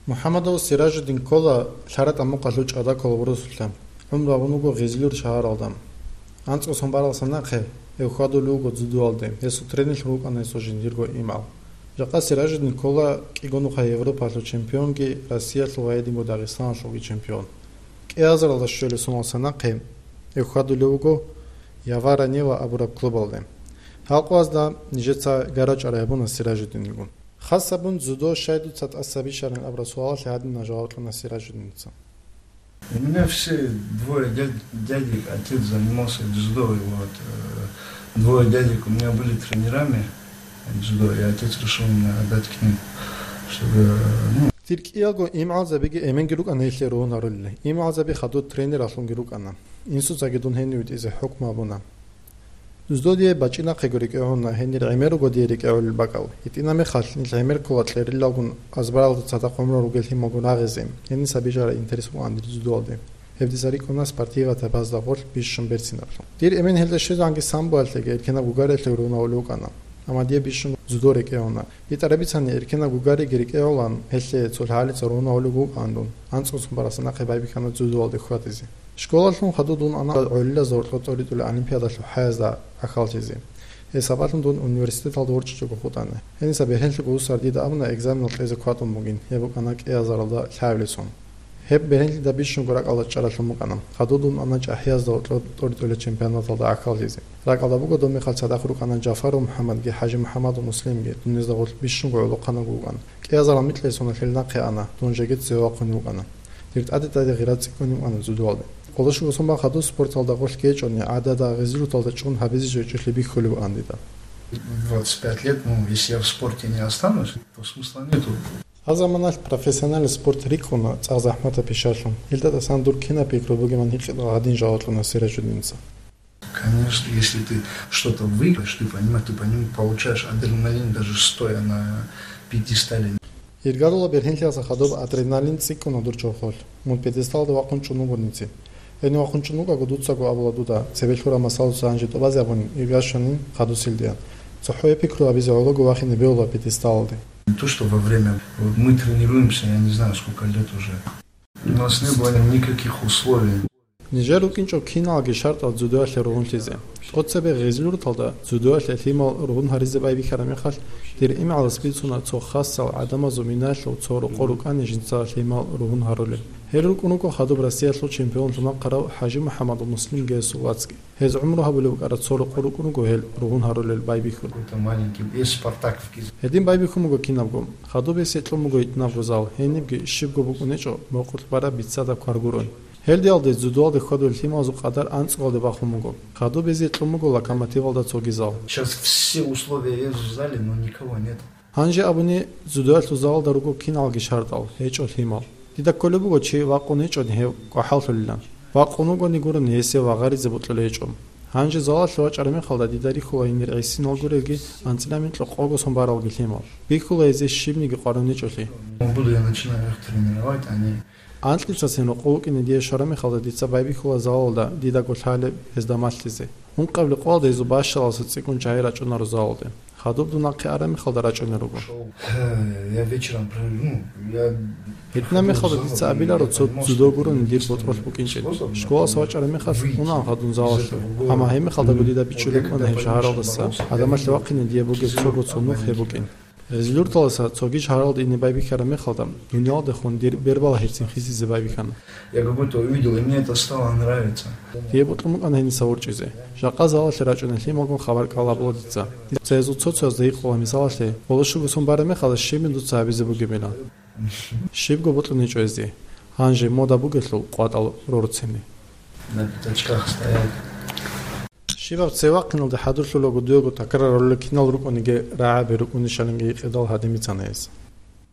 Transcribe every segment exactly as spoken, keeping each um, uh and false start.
МухӀаммадов Сиражуддин ккола Лъаратамукъалъул ЧӀадакула бурусулъа. ГӀумру гьабун вуго Гъизлюр шагьаралда. АнцӀго сон баралдаса нахъе гьев хьвадулев вуго дзюдоялде, гьесул тренерлъун рукӀана гьесул жиндирго имгӀал. Жакъа Сиражуддин ккола кӀиго нухалъ Европалъул чемпионги, Россиялъул ва гьединго Дагъистаналъулги чемпион. КӀиазаралда щвелеб соналдаса нахъе гьев хьвадулев вуго Явара Нева абураб клубалде. Гьал къоязда нижеца гара-чӀвара гьабуна Сиражуддингун. Хас гьабун, дзюдо щай дуца тӀаса бищарин абураб суалалъе гьадинаб жаваб кьуна Сиражуддинца. У меня все двое дядь- дядек, отец занимался дзюдо, и вот э, двое дядек у меня были тренерами дзюдо, и отец решил меня отдать к ним, чтобы, ну, Дир кӀиялго имгӀалзабиги эменги рукӀана гьелъие ругьун гьарулел. ИмгӀалзаби хадуб тренералъунги рукӀана. Инсуцаги дун гьенив витӀизе хӀукму гьабуна. Дзюдо дие бачӀинахъего рикӀкӀе гьуна, гьенир гӀемер руго дие рикӀкӀе гьолел бакӀал. ГьитӀинаб мехалъ нилъ гӀемер ккола кьерилалгун азбаралда цадахъ гӀумру ругел лъималгун рагъизе, гьениса бижараб интерес букӀана дир дзюдоялде. Гьеб дица рикӀкӀуна спортиваяб тайпазда гъорлъ бищун берцинаблъун. Дир эмен гьелда щвезегӀанги самбоялъеги эркенаб гугаралъеги ругьун гьавулев вукӀана. Амма дие бищун дзюдо рекӀе гьуна. ГьитӀараб бицани, эркенаб гугариги рекӀе гьолан, гьелъие цо лъагӀалица ругьун гьавулев вукӀаан дун. АнцӀго сон баралдаса нахъе байбихьана дзюдоялде хьвадизе. Школалъун хадуб дун ана гӀолилазда гьоркьоб тӀоритӀулел олимпиадалъул хӀаязда гӀахьаллъизе. Гьеб сабаблъун дун университеталда ворчӀичӀого хутӀана. Гьениса бергьенлъи гусар дида абуна экзаменал кьезе кватӀун бугин, гьеб букӀана кӀиазаралда лъабилеб сон. Гьеб бергьенлъидал бищунго ракӀалда чӀаралъун букӀана. Хадуб дун ана ЧӀахӀиязда гьоркьоб тӀоритӀулел чемпионаталда гӀахьаллъизе. РакӀалда буго доб мехалъ цадахъ рукӀана Жафаров МухӀаммадги ХӀажимухӀаммадов Муслимги, дун гьезда гъорлъ бищунго гӀолохъанав вукӀана. КӀиазарал микьлъи соналъ гьел нахъе ана, дун жеги цеве вахъун вукӀана. Дир тӀаде-тӀаде гъира цӀикӀкӀун вукӀана дзюдоялде. Къолошуго сон бан хадуб спорталда гъорлъ гьечӀони, гӀадада, гъезилуталда чӀун гьабизе жо гьечӀолъи бихьулеб букӀана дида. В двадцать пять лет, ну, если я в спорте не останусь, то смысла нету. Гьаб заманалъ профессиональный спорт рикӀкӀуна цӀакъ захӀматаб пишалъун. Гьелда тӀасан дур кинаб пикру бугебан гьикъидал гьадин жаваб кьуна Сиражуддинца. Конечно, если ты что-то выиграешь, ты понимаешь, ты поним- получаешь адреналин, даже стоя на пьедестале. Иргарула бергьенлъиялдаса хадуб адреналин цӀикӀкӀуна дур чорхолъ. Мун пьедесталда вахъун чӀун вуго нижеца. Гьенив вахъун чӀун вукӀаго дуцаго абула дуда, цебе лъураб масалаца гьанже тӀубазе абунин, ирга щванин хадусилдаян. ЦохӀо гьеб пикру гьабизе гӀолого вахине бегьула пьедесталалде. Не то, что во время. Вот мы тренируемся, я не знаю, сколько лет уже. У нас не было никаких условий. Нижер рукӀинчӀо киналги шартӀал дзюдоялъе ругьунлъизе. ТӀоцебе Гъизлурталда дзюдоялъе лъимал ругьун гьаризе байбихьараб мехалъ, дир имгӀалас бицуна цо хасал гӀадамазул минаялъул цо рокъор рукӀани жинца лъимал ругьун гьарулел. Гьел рукӀун руго хадуб Россиялъул чемпионлъун вахъарав ХӀажимухӀаммадов Муслимги гьесул вацги. Гьез гӀумру гьабулеб букӀараб цо рокъор рукӀун руго гьел ругьун гьарулел байбихьун. Какой-то маленький, есть Спартак в Кизе- Гьедин байбихьун буго кинабго. Хадуб гьесие кьун буго гьитӀинабго зал, гьенибги щибго букӀунечӀо мокъулъ бараб биццадаб кваргурун. Гьелдиялде дзюдоялде хьвадулел лъималазул къадар анцӀгоялде бахун буго. Хадуб гьезие кьун буго Локомотивалда цоги зал. Сейчас все условия есть в зале, но никого нет. Гьанже абуни, дзюдоялъул залалда руго киналги шартӀал, гьечӀо лъимал. Дида кколеб буго чи вакъун гьечӀони гьев кӀвахӀаллъулилан. Вакъун вугони гурони гьесие вагъаризе бокьулеб гьечӀо. Гьанже залалъе вачӀараб мехалда дида рихьула гьенир гӀисинал гурелги анцӀила микьго къого сон баралги лъимал. Бихьула гьезие щибниги къваригӀунечӀолъи. Ну, буду я начинаю их тренировать, они Анкьицасин рокъов вукӀине дие щвараб мехалда дица байбихьула залалда дидаго лъалеб гьезда малъизе. Ункъабилеб къоялда гьезул бащалалдаса цӀикӀкӀун чагӀи рачӀунаро залалде. Хадуб дун нахъе араб мехалда рачӀунел руго. Шел. Я вечером про- ну, я ГьитӀинаб мехалда дица абиларо цо дзюдо гурони дир ботӀролъ букӀинчӀин. Школалдаса вачӀараб мехалъ унаан хадуб залалъе. Амма гьеб мехалдаго дида бичӀчӀулеб букӀана гьеб шагьаралдаса гӀадамалъе вахъине дие бугеб цого цо нух гьеб букӀин. Гъизлурталдаса цоги шагьаралда ине байбихьараб мехалда, дунялалдехун дир бербалъухъ гьецин хисизе байбихьана. Я какой-то увидел, и мне это стало нравиться. Дие бокьун букӀана гьениса ворчӀизе. Жакъа залалъе рачӀунел лъималгун хабар кӀал гьабула дица. Дица гьезул цо-цоязда гьикъула мисалалъе, къоло щуго сон бараб мехалда щибин дуца гьабизе бугебилан. Щибго бокьун гьечӀо гьезде. Гьанже мода бугелъул къватӀал рорцинин. На пятачках стоять. Щибаб цеве вахъиналде хӀадурлъулаго дуего такрарулел кинал рукӀуниги, рагӀаби рукӀунищалинги гьикъидал гьадин бицана гьес.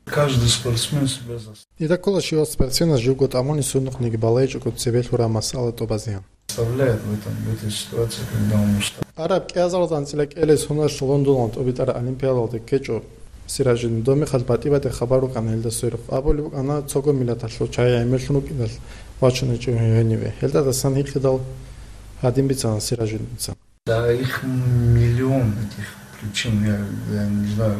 Каждый спортсмен себя зас- Дида ккола щивав спортсменас живго тӀамуни сундухъниги балайчӀого цебе лъураб масъала тӀубазеян. Заставляет в этом, в этой ситуации, когда он устал. Араб кӀиазаралда анцӀила кӀелеб соналъ Лондоналда тӀубитӀараб олимпиадалде ккечӀо Сиражидин. Доб мехалъ батӀи-батӀи хабар рукӀана гьелда сверухъ. Абулеб букӀана, цого миллаталъул чагӀи гӀемерлъун рукӀиналъ вачунечӀо гьениве. Гьелда тӀасан гьикъидал гьадин бицана Сиражидинца. Да, их миллион, этих причин, я, я не знаю.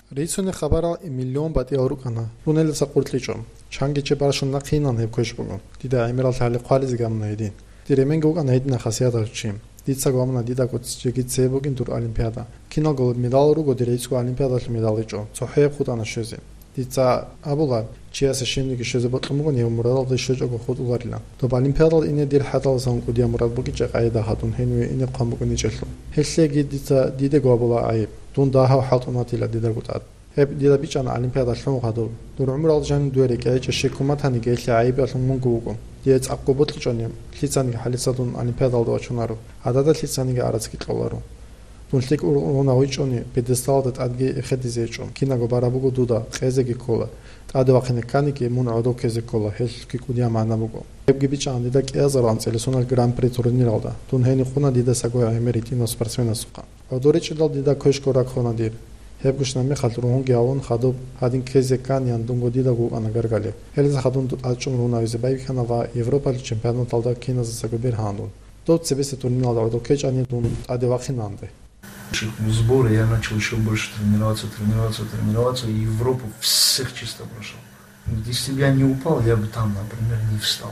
Рицунел хабарал миллион батӀиял рукӀана, дун гьелдаса къуркьичӀо. Чанги чи барщун нахъинан гьеб квеш буго. Дида гӀемерал лъали хъвализе гьабуна гьедин. Дир эменги вукӀана гьединаб хасияталъ чи. Дица гьабуна дидаго жеги цебе бугин дур олимпиада. Киналго медал руго дир гӀицӀго олимпиадалъул медал гьечӀо, цохӀояб хутӀана щвезе. Дица абула, чиясе щибниги щвезе бокьун бугин гьев мурадалде щвечӀого хутӀуларилан. Доб олимпиадал ине дир хӀатӀалдасан кӀудияб мурад букӀинчӀеб къагӀида гьадун гьениве ине хъван букӀинчӀелъул. Гьелъеги дица дидаго абула гӀайиб. Дун дагьав хӀалтӀун ватила дидаго тӀад. Гьеб дида бичӀчӀана олимпиада лъун гьадур. Дур гӀумрал жанив дуе рекӀелъе щеккун батаниги, гьелъие гӀайиб ялъун мунго вуго. Дие цӀакъго бокьичӀони, лъицаниги хӀалица дун олимпиадалде вачунаро. ГӀадада лъицаниги арацги кьоларо. Дун лъикӀ ургъун гьавичӀони, пьедесталалда тӀадги эхедизе гьечӀо. Кинабго бараб буго дуда, къезеги ккола. ТӀаде вахъине кканиги, мун гӀодов ккезе ккола, гьелъги кӀудияб магӀна буго. Гьебги бичӀчӀана дида кӀиазарулгӀан цӀелесунал Гран-при турниралда. Дун гьенив къуна дидасаго гӀемер гьитӀинав спортсменасухъа. ГӀодор речӀчӀидал дида квешго раккуна дир. Гьеб гущинаб мехалъ ругьунги гьавун хадуб гьадин ккезе кканиян дунго дидаго вукӀана гаргалеб. Гьелдаса хадуб дун тӀадчӀун рунавизе байбихьана ва Европалил чемпионаталда киназесаго бергьана дун. Дов цебесеб турниралда гӀодов ккечӀани дун тӀаде вахъинанде. Сборы я начал ещё больше тренироваться, тренироваться, тренироваться, и Европу всех чисто прошёл. Если бы я не упал, я бы там, например, не встал.